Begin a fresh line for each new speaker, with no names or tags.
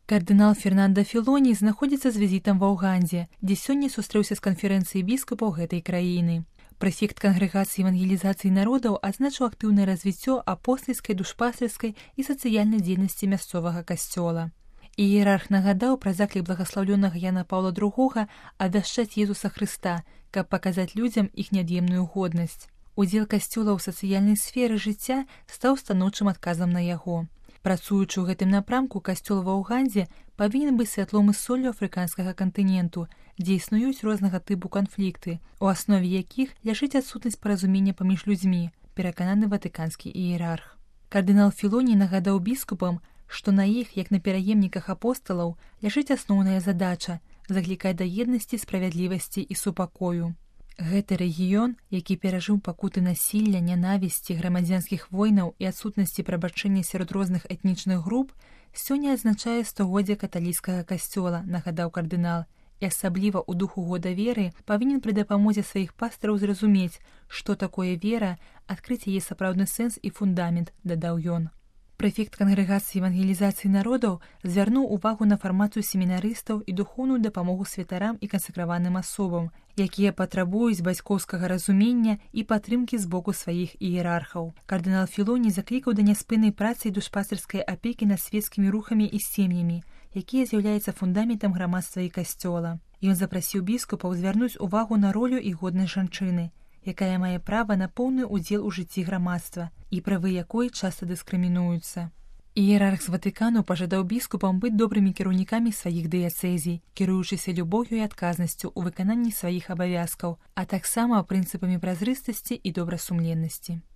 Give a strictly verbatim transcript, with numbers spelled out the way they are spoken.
Кардынал Фернандо Філоні знаходзіцца з візітам ва Ўгандзе, дзе сёння сустрэўся з канферэнцыяй біскупаў гэтай краіны. Прэфект кангрэгацыі евангелізацыі народаў адзначыў актыўнае развіццё апостальскай, душпастырскай і сацыяльнай дзейнасці мясцовага касцёла. Іерарх нагадаў пра заклік благаслаўлёнага Яна Паўла другога абвяшчаць Езуса Хрыста, каб паказаць людзям іх неад'емную годнасць. Удзел касцёла ў сацыяльнай сферы жыцця стаў станоўчым адказам на яго. Працуючы ў гэтым напрамку, касцёл ва Ўгандзе павінен быць святлом і соллю афрыканскага кантыненту, дзе існуюць рознага тыпу канфлікты, у аснове якіх ляжыць адсутнасць паразумення паміж людзьмі, перакананы ватыканскі іерарх. Кардынал Філоні нагадаў біскупам, што на іх, як на пераемніках апосталаў, ляжыць асноўная задача – заклікаць да еднасці, справядлівасці і супакою. Гэты рэгіён, які перажыў пакуты насілля, нянавісці, грамадзянскіх войнаў і адсутнасці прабачэння сярод розных этнічных груп, сёння адзначае стагоддзе каталіцкага касцёла, нагадаў кардынал, і асабліва ў духу года веры павінен пры дапамозе сваіх пастыраў зразумець, што такое вера, адкрыць яе сапраўдны сэнс і фундамент, дадаў ён. Прэфект кангрэгацыі евангелізацыі народаў звярнуў увагу на фармацыю семінарыстаў і духоўную дапамогу святарам і кансакраваным асобам, якія патрабуюць бацькоўскага разумення і падтрымкі з боку сваіх іерархаў. Кардынал Філоні заклікаў да няспыннай працы і душпастырскай апекі над свецкімі рухамі і сем'ямі, якія з'яўляюцца фундаментам грамадства і касцёла. Ён запрасіў біскупаў звярнуць увагу на ролю і годнасць жанчыны, якая мае права на поўны ўдзел у жыцці грамадства і правы якой часта дыскрымінуюцца. Іерарх з Ватыкану пажадаў біскупам быць добрымі кіраўнікамі сваіх дыяцэзій, кіруючыся любоўю і адказнасцю ў выкананні сваіх абавязкаў, а таксама прынцыпамі празрыстасці і добрасумленнасці.